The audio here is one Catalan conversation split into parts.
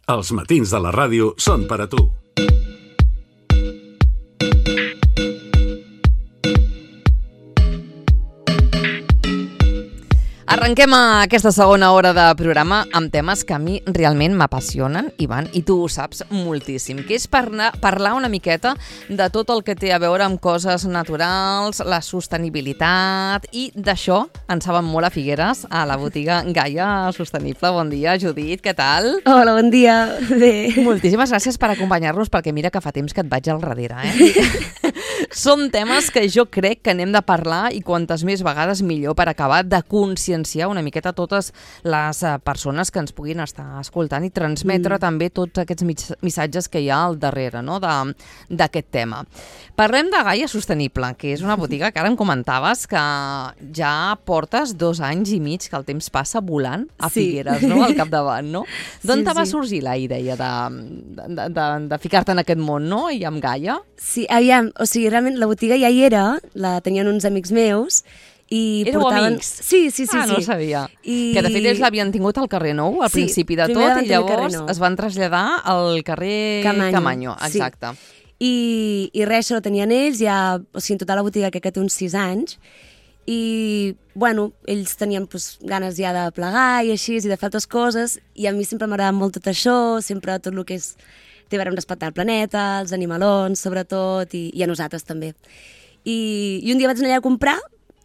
Els matins de la ràdio són per a tu. Arrenquem aquesta segona hora de programa amb temes que a mi realment m'apassionen, Ivan, i tu ho saps moltíssim, que és parlar una miqueta de tot el que té a veure amb coses naturals, la sostenibilitat, i d'això en saben molt a Figueres, a la botiga Gaia Sostenible. Bon dia, Judit, què tal? Hola, bon dia. Bé. Moltíssimes gràcies per acompanyar-nos, perquè mira que fa temps que et vaig al darrere, Són temes que jo crec que n'hem de parlar i quantes més vegades millor per acabar de conscienciar una miqueta totes les persones que ens puguin estar escoltant i transmetre també tots aquests missatges que hi ha al darrere, no?, d'aquest tema. Parlem de Gaia Sostenible, que és una botiga que ara em comentaves que ja portes 2 anys i mig, que el temps passa volant a Figueres, no?, al capdavant, no? D'on te va sorgir la idea de ficar-te en aquest món, no?, i amb Gaia? Sí, aviam, o sigui, realment la botiga ja hi era, la tenien uns amics meus, i éreu portaven... amics? Sí. No ho sabia. Que de fet ells l'havien tingut al carrer Nou, al principi de tot, i llavors es van traslladar al carrer Camanyo. Exacte. I res, això ho tenien ells, ja, o sigui, en total la botiga que té uns 6 anys, i, bueno, ells tenien ganes ja de plegar i així, i de fer altres coses, i a mi sempre m'agrada molt tot això, sempre tot el que és té a veure amb respectar el planeta, els animalons, sobretot, i a nosaltres també. I un dia vaig anar allà a comprar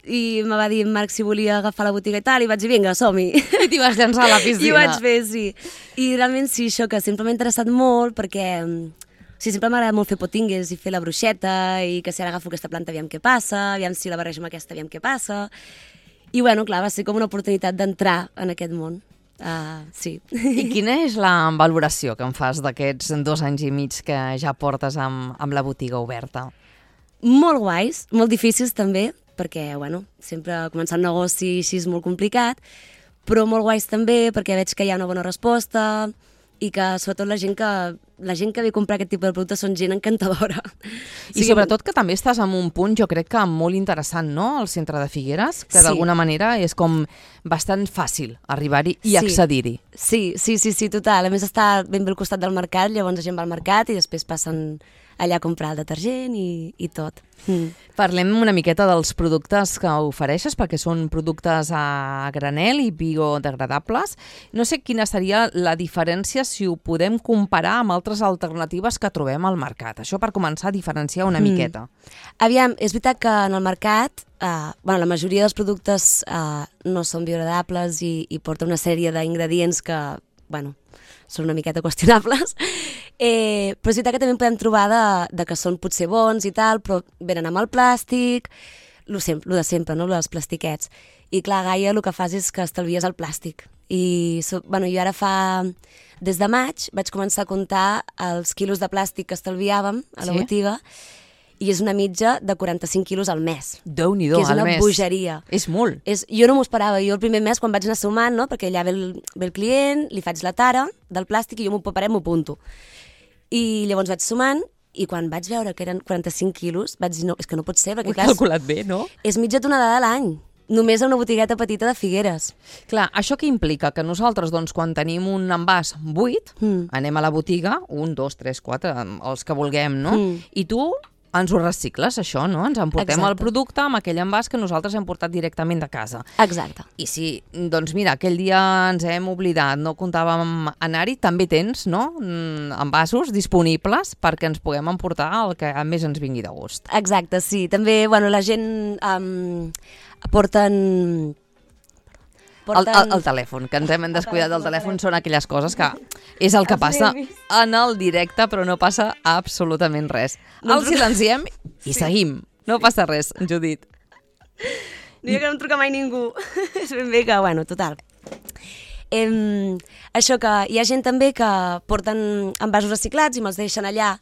i me va dir en Marc si volia agafar la botiga i tal, i vaig dir, vinga, som-hi. I t'hi vas llançar a la piscina. I ho vaig fer, sí. I realment sí, això que sempre m'ha interessat molt, perquè sempre m'agrada molt fer potingues i fer la bruixeta, i que si ara agafo aquesta planta aviam què passa, aviam si la barrejo amb aquesta aviam què passa. I bueno, clar, va ser com una oportunitat d'entrar en aquest món. Sí. I quina és la valoració que em fas d'aquests 2 anys i mig que ja portes amb la botiga oberta? Molt guais, molt difícils també, perquè, bueno, sempre començar un negoci així és molt complicat, però molt guais també perquè veig que hi ha una bona resposta i que sobretot la gent que ve a comprar aquest tipus de productes són gent encantadora. I sobretot que també estàs en un punt, jo crec que molt interessant, no?, al centre de Figueres, que d'alguna manera és com bastant fàcil arribar-hi i accedir-hi. Sí, total. A més està ben bé al costat del mercat, llavors la gent va al mercat i després passen allà a comprar el detergent i tot. Parlem una miqueta dels productes que ofereixes, perquè són productes a granel i biodegradables. No sé quina seria la diferència si ho podem comparar amb altres alternatives que trobem al mercat. Això per començar a diferenciar una miqueta. Aviam, és veritat que en el mercat la majoria dels productes no són biodegradables i porta una sèrie d'ingredients que, són una miqueta qüestionables, però és veritat que també en podem trobar de que són potser bons i tal, però venen amb el plàstic, lo de sempre, no?, els plastiquets. I clar, Gaia el que fas és que estalvies el plàstic. I jo ara des de maig vaig començar a comptar els quilos de plàstic que estalviàvem a la botiga, i és una mitja de 45 quilos al mes. Déu-n'hi-do, al mes. Que és una bogeria. És molt. Jo no m'ho esperava. Jo el primer mes, quan vaig anar sumant, no?, perquè allà ve el client, li faig la tara del plàstic i jo m'ho preparem, m'ho apunto. I llavors vaig sumant, i quan vaig veure que eren 45 quilos, vaig dir, no, és que no pot ser, perquè ho he calculat bé, no? És mitja tonelada a l'any, només a una botigueta petita de Figueres. Clar, això què implica? Que nosaltres, doncs, quan tenim un envàs buit, anem a la botiga, 1, 2, 3, 4, els que vulguem, no? I tu ens ho recicles, això, no? Ens emportem el producte amb aquell envàs que nosaltres hem portat directament de casa. Exacte. I si, doncs mira, aquell dia ens hem oblidat, no comptàvem anar-hi, també tens, no?, envasos disponibles perquè ens puguem emportar el que més ens vingui de gust. Exacte, sí. També, la gent porten... El telèfon, que ens hem descuidat del telèfon, són aquelles coses que és el que passa en el directe, però no passa absolutament res. El silenciem i seguim. No passa res, Judit. Diria que no em truca mai ningú. És ben bé que, total. Això que hi ha gent també que porten envasos reciclats i me'ls deixen allà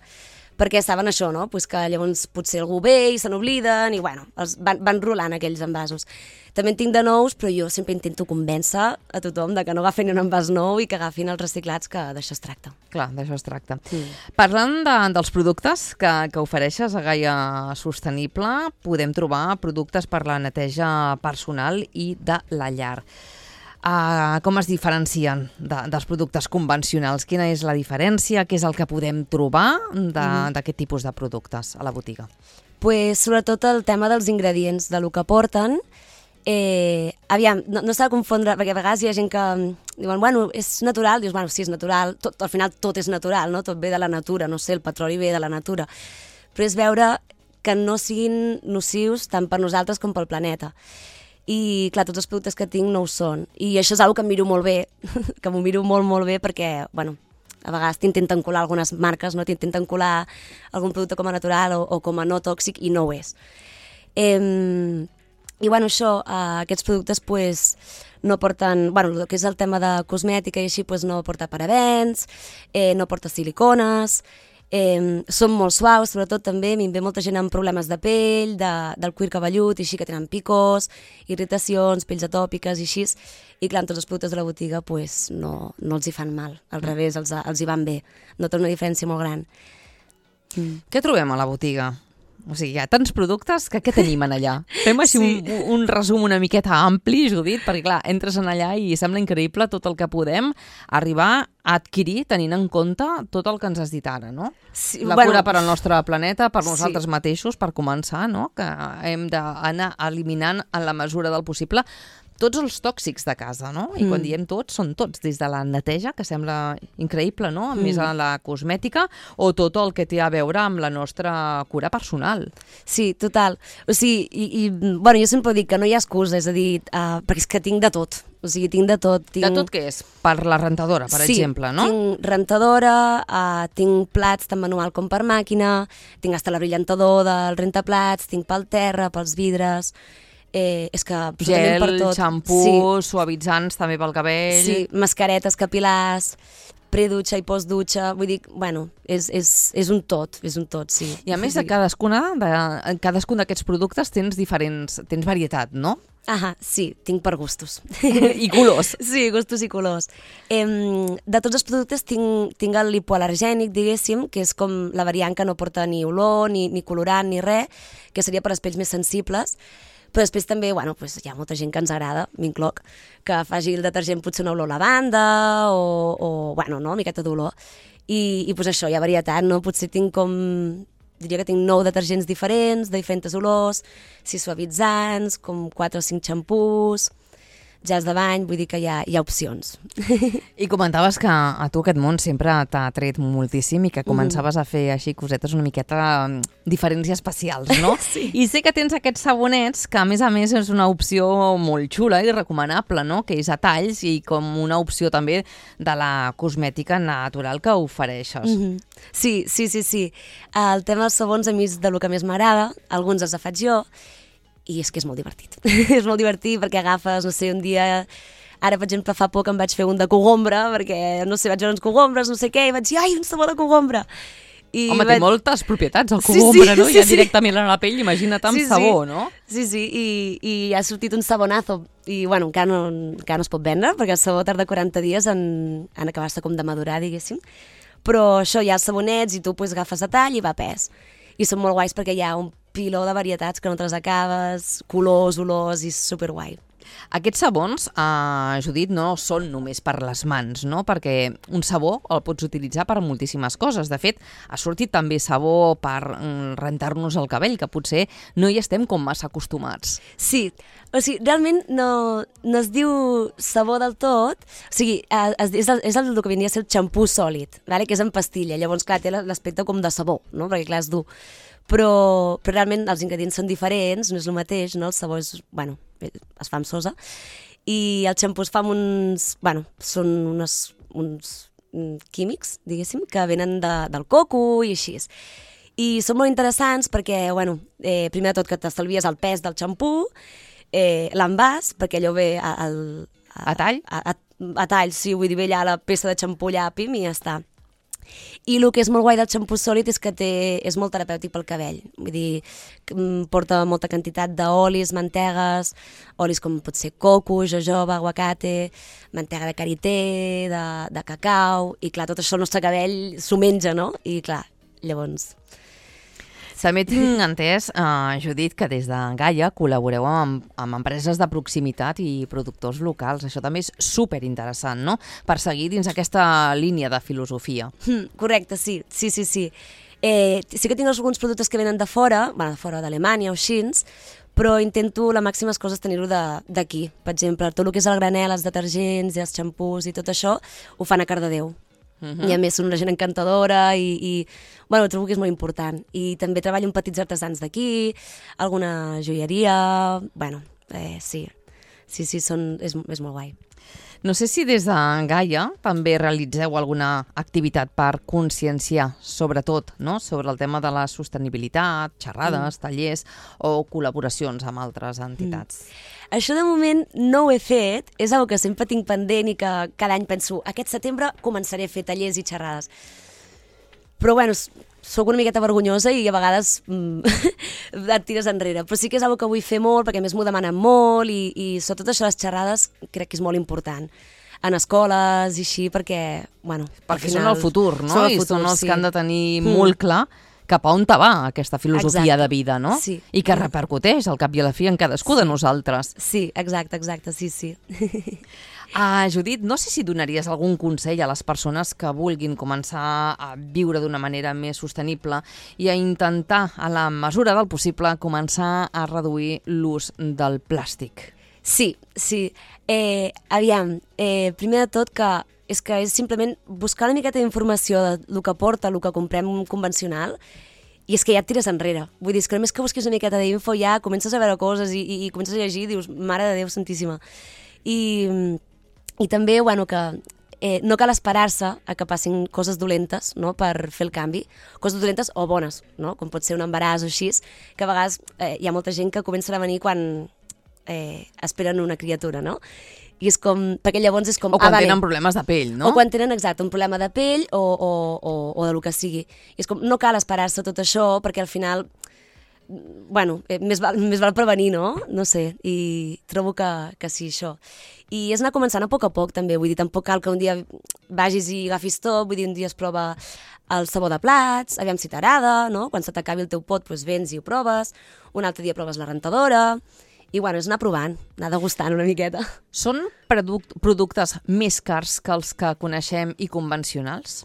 perquè saben això, no? Pues que llavors potser algú ve i se n'obliden i els van rolant aquells envasos. També en tinc de nous, però jo sempre intento convèncer a tothom de que no agafin un envàs nou i que agafin els reciclats, que d'això es tracta. Clar, d'això es tracta. Parlant dels productes que ofereixes a Gaia Sostenible, podem trobar productes per la neteja personal i de la llar. Com es diferencien dels productes convencionals? Quina és la diferència? Què és el que podem trobar d'aquest tipus de productes a la botiga? Pues, sobretot el tema dels ingredients, de lo que porten. Aviam, no s'ha de confondre, perquè a vegades hi ha gent que diuen, bueno, és natural, dius, bueno, sí, és natural, al final tot és natural, no? Tot ve de la natura, no sé, el petroli ve de la natura, però és veure que no siguin nocius tant per nosaltres com pel planeta. I, clar, tots els productes que tinc no ho són. I això és una que em miro molt bé, que m'ho miro molt, molt bé, perquè, bueno, a vegades t'intenten colar algunes marques, no? T'intenten colar algun producte com a natural o com a no tòxic i no ho és. I, bueno, això, aquests productes, pues, no porten, bueno, el que és el tema de cosmètica i així, pues, no porta parabens, no porta silicones, són molt suaus, sobretot també, a mi em ve molta gent amb problemes de pell, del cuir cabellut, i així, que tenen picors, irritacions, pells atòpiques i així, i clar, tots els productes de la botiga, pues, no els hi fan mal, al revés, els hi van bé, noten una diferència molt gran. Què trobem a la botiga? O sigui, hi ha tants productes que què tenim en allà? Fem així un resum una miqueta ampli, Judit, perquè clar, entres en allà i sembla increïble tot el que podem arribar a adquirir tenint en compte tot el que ens has dit ara, no? Sí, la cura per al nostre planeta, per nosaltres mateixos, per començar, no? Que hem d'anar eliminant en la mesura del possible tots els tòxics de casa, no? I quan diem tots, són tots, des de la neteja, que sembla increïble, no? Més a la cosmètica, o tot el que té a veure amb la nostra cura personal. Sí, total. O sigui, bueno, jo sempre dic que no hi ha excusa, és a dir, perquè és que tinc de tot. O sigui, tinc de tot. De tot què és? Per la rentadora, per exemple, no? Sí, tinc rentadora, tinc plats tant manual com per màquina, tinc hasta la brillantador del rentaplats, tinc pel terra, pels vidres. És que absolutament per tot. Gel, xampú, suavitzants també pel cabell. Sí, mascaretes capil·lars, predutxa i postdutxa, vull dir, bueno, és un tot, sí. I a més de cadascun d'aquests productes tens varietat, no? Sí, tinc per gustos. I colors. Sí, gustos i colors. De tots els productes tinc el hipoal·lergènic, diguéssim, que és com la variant que no porta ni olor, ni colorant, ni res, que seria per als pells més sensibles. Però després també, bueno, pues hi ha molta gent que ens agrada, m'incloc, que faci el detergent potser una olor lavanda o bueno, no, una miqueta d'olor. I pues això, hi ha varietat, no? Potser diria que tinc 9 detergents diferents, de diferents olors, 6 suavitzants, com 4 o 5 xampús, gels de bany, vull dir que hi ha opcions. I comentaves que a tu aquest món sempre t'ha atret moltíssim i que començaves a fer així cosetes una miqueta diferents i especials, no? Sí. I sé que tens aquests sabonets que a més és una opció molt xula i recomanable, no? Que és a talls i com una opció també de la cosmètica natural que ofereixes. Sí. El tema dels sabons a mi és del que més m'agrada, alguns els faig jo, i és que és molt divertit. És molt divertit perquè agafes, no sé, un dia... Ara, per exemple, fa poc em vaig fer un de cogombre, perquè, no sé, vaig veure uns cogombres, no sé què, i vaig dir, ai, un sabó de cogombre! Home, té moltes propietats el cogombre, no? Ja directament a la pell, imagina't amb sabó, no? Sí, i ha sortit un sabonazo, i bueno, encara no es pot vendre, perquè el sabó tarda 40 dies en acabar-se com de madurar, diguéssim. Però això, hi ha els sabonets i tu pues, agafes a tall i va a pes. I són molt guais perquè hi ha un piló de varietats que no te les acabes, colors, olors, i és superguai. Aquests sabons, Judit, no són només per les mans, no? Perquè un sabó el pots utilitzar per moltíssimes coses. De fet, ha sortit també sabó per rentar-nos el cabell, que potser no hi estem com massa acostumats. Sí, o sigui, realment no es diu sabó del tot, o sigui, és el que vindria a ser el xampú sòlid, vale? Que és en pastilla, llavors, clar, té l'aspecte com de sabó, no? Perquè, clar, és dur. Però realment els ingredients són diferents, no és el mateix, no? El sabó és, bueno, es fa amb sosa, i el xampú es fa amb són uns químics, diguéssim, que venen del coco i així. I són molt interessants perquè, bueno, primer de tot que t'estalvies el pes del xampú, l'envàs, perquè allò ve a tall? A tall, sí, vull dir, ve allà la peça de xampú allà, pim, i ja està. I el que és molt guai del xampú sòlid és que és molt terapèutic pel cabell, vull dir, porta molta quantitat d'olis, mantegues, olis com pot ser coco, jojoba, aguacate, mantega de karité, de cacau, i clar, tot això el nostre cabell s'ho menja, no? I clar, llavors... També tinc entès, Judit, que des de Gaia col·laboreu amb empreses de proximitat i productors locals. Això també és superinteressant, no?, per seguir dins aquesta línia de filosofia. Correcte, sí. Sí que tinc alguns productes que venen de fora, de fora d'Alemanya o així, però intento les màximes coses tenir-ho d'aquí. Per exemple, tot el que és el granel, els detergents i els xampús i tot això, ho fan a Cardedeu. I a més són una gent encantadora i trobo que és molt important. I també treballo amb petits artesans d'aquí, alguna joieria... Sí, és molt guai. No sé si des de Gaia també realitzeu alguna activitat per conscienciar, sobretot, no?, sobre el tema de la sostenibilitat, xerrades, tallers o col·laboracions amb altres entitats. Això de moment no ho he fet, és una que sempre tinc pendent i que cada any penso, aquest setembre començaré a fer tallers i xerrades. Però soc una miqueta vergonyosa i a vegades et tires enrere. Però sí que és una que vull fer molt, perquè a més m'ho demanen molt i sobretot això de les xerrades crec que és molt important. En escoles i així, perquè, perquè són el futur, no? I són els que han de tenir molt clar cap a on te va aquesta filosofia de vida, no? Sí. I que repercuteix al cap i a la fi en cadascú de nosaltres. Sí, exacte, sí. Judit, no sé si donaries algun consell a les persones que vulguin començar a viure d'una manera més sostenible i a intentar, a la mesura del possible, començar a reduir l'ús del plàstic. Sí. Aviam, primer de tot que és simplement buscar una miqueta d'informació del que porta, el que comprem convencional, i és que ja et tires enrere. Vull dir, que només que busquis una miqueta d'info ja comences a veure coses i comences a llegir i dius, mare de Déu santíssima. I també, que no cal esperar-se a que passin coses dolentes, no?, per fer el canvi. Coses dolentes o bones, no?, com pot ser un embaràs o així, que a vegades hi ha molta gent que comença a venir quan esperen una criatura, no? I és com, perquè llavors és com... O quan tenen problemes de pell, no? O quan tenen, exacte, un problema de pell o de lo que sigui. I és com, no cal esperar-se tot això, perquè al final, més val prevenir, no? No sé, i trobo que sí, això. I és anar començant a poc, també, vull dir, tampoc cal que un dia vagis i agafis tot, vull dir, un dia es prova el sabó de plats, aviam si t'agrada, no? Quan se t'acabi el teu pot, doncs vens i ho proves, un altre dia proves la rentadora... I és anar provant, anar degustant una miqueta. Són productes més cars que els que coneixem i convencionals?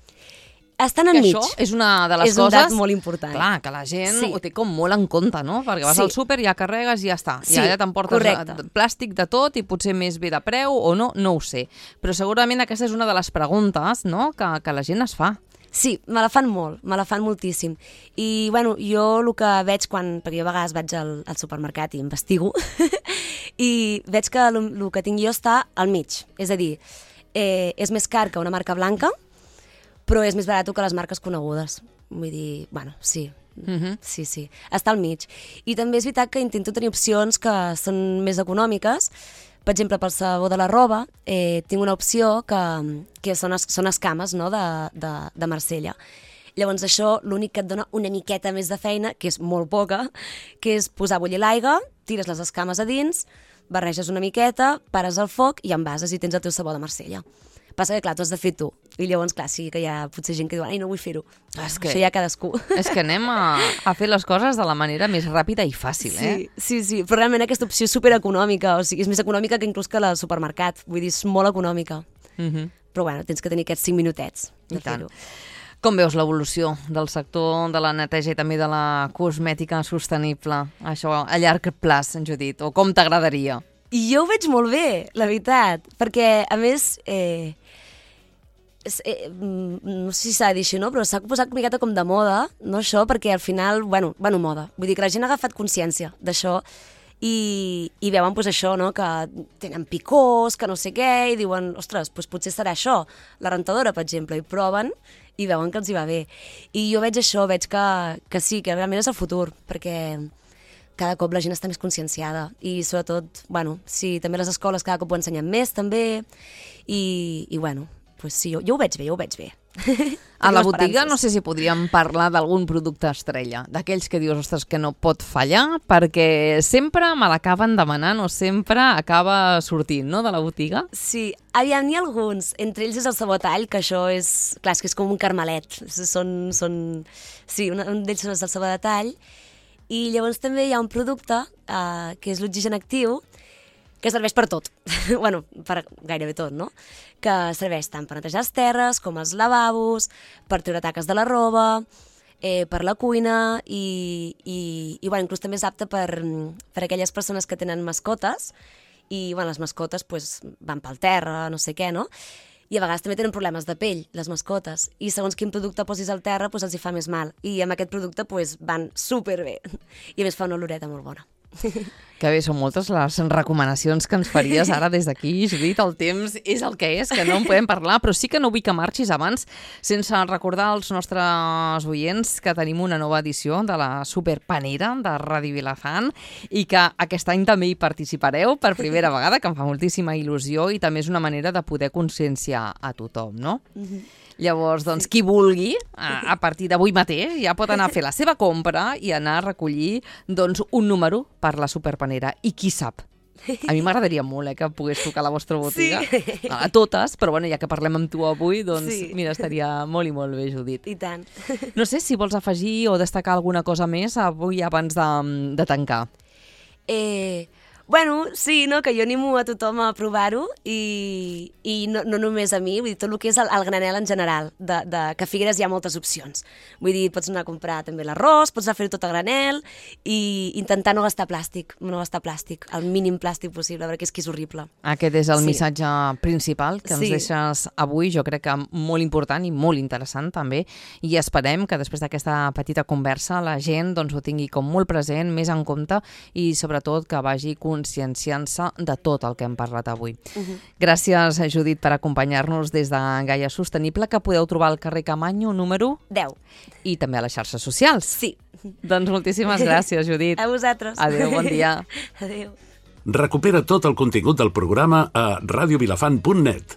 Estan enmig. Això és una de les coses... És un dat molt important. Clar, que la gent ho té com molt en compte, no? Perquè vas al súper, ja carregues i ja està. Sí, I allà t'emportes plàstic de tot i potser més bé de preu o no ho sé. Però segurament aquesta és una de les preguntes, no?, que la gent es fa. Sí, me la fan molt, me la fan moltíssim. I, jo el que veig perquè jo a vegades vaig al supermercat i investigo, i veig que el que tinc jo està al mig. És a dir, és més car que una marca blanca, però és més barat que les marques conegudes. Vull dir, sí. Sí. Està al mig. I també és veritat que intento tenir opcions que són més econòmiques. Per exemple, pel sabó de la roba, tinc una opció que són escames, no?, de Marsella. Llavors això l'únic que et dona una miqueta més de feina, que és molt poca, que és posar a bullir l'aigua, tires les escames a dins, barreges una miqueta, pares el foc i envases i tens el teu sabó de Marsella. Passa que, clar, t'ho has de fer tu. I llavors, clar, sí que hi ha potser gent que diu ai, no vull fer-ho. Això ja cadascú. És que anem a fer les coses de la manera més ràpida i fàcil, Sí, però realment aquesta opció és supereconòmica, o sigui, és més econòmica que inclús que la supermercat. Vull dir, és molt econòmica. Però, tens que tenir aquests 5 minutets de fer-ho. Com veus l'evolució del sector de la neteja i també de la cosmètica sostenible? Això a llarg plaç, Judit, o com t'agradaria? I jo ho veig molt bé, la veritat, perquè, a més, no sé si s'ha de dir així, no? Però s'ha posat una miqueta com de moda, no, això, perquè al final, moda. Vull dir que la gent ha agafat consciència d'això i veuen doncs, això, no? Que tenen picors, que no sé què, i diuen, ostres, doncs potser serà això, la rentadora, per exemple, i proven i veuen que els hi va bé. I jo veig això, veig que sí, que realment és el futur, perquè cada cop la gent està més conscienciada i sobretot, sí, també les escoles cada cop ho ensenyen més també i doncs sí, jo ho veig bé, A la botiga no sé si podríem parlar d'algun producte estrella, d'aquells que dius, ostres, que no pot fallar, perquè sempre me l'acaben demanant o sempre acaba sortint, no?, de la botiga. Sí, aviam, n'hi ha alguns. Entre ells és el sabó a tall, que això és... Clar, és que és com un carmelet. Sí, un d'ells és el sabó de tall. I llavors també hi ha un producte, que és l'oxigen actiu, que serveix per tot. Bueno, per gairebé tot, no? Que serveix tant per netejar les terres, com els lavabos, per treure taques de la roba, per la cuina i bueno, inclús també és apte per aquelles persones que tenen mascotes i bueno, les mascotes pues, van pel terra, no sé què, no? I a vegades també tenen problemes de pell, les mascotes, i segons quin producte posis al terra pues, els hi fa més mal. I amb aquest producte pues, van superbé. I a més fa una oloreta molt bona. Que bé, són moltes les recomanacions que ens faries ara des d'aquí, Judit. El temps és el que és, que no en podem parlar, però sí que no vull que marxis abans sense recordar als nostres oients que tenim una nova edició de la Superpanera de Ràdio Vilafant i que aquest any també hi participareu per primera vegada, que em fa moltíssima il·lusió i també és una manera de poder conscienciar a tothom, no? Llavors, doncs, qui vulgui, a partir d'avui mateix, ja pot anar a fer la seva compra i anar a recollir doncs, un número per la Superpanera. I qui sap? A mi m'agradaria molt que pogués tocar a la vostra botiga. Sí. A totes, però bueno, ja que parlem amb tu avui, doncs sí. Mira, estaria molt i molt bé, Judit. I tant. No sé si vols afegir o destacar alguna cosa més avui abans de tancar. Bueno, sí, no? Que jo animo a tothom a provar-ho i no només a mi, vull dir, tot el que és el granel en general, que a Figueres hi ha moltes opcions. Vull dir, pots anar a comprar també l'arròs, pots anar a fer-ho tot a granel i intentar no gastar plàstic, el mínim plàstic possible, perquè és que és horrible. Aquest és el missatge principal que ens deixes avui, jo crec que molt important i molt interessant també, i esperem que després d'aquesta petita conversa la gent doncs, ho tingui com molt present, més en compte i sobretot que vagi conscienciant-se de tot el que hem parlat avui. Gràcies, Judit, per acompanyar-nos des de Gaia Sostenible, que podeu trobar al carrer Camanyo, número 10. I també a les xarxes socials. Sí. Doncs moltíssimes gràcies, Judit. A vosaltres. Adéu, bon dia. Adéu. Recupera tot el contingut del programa a radiovilafant.net.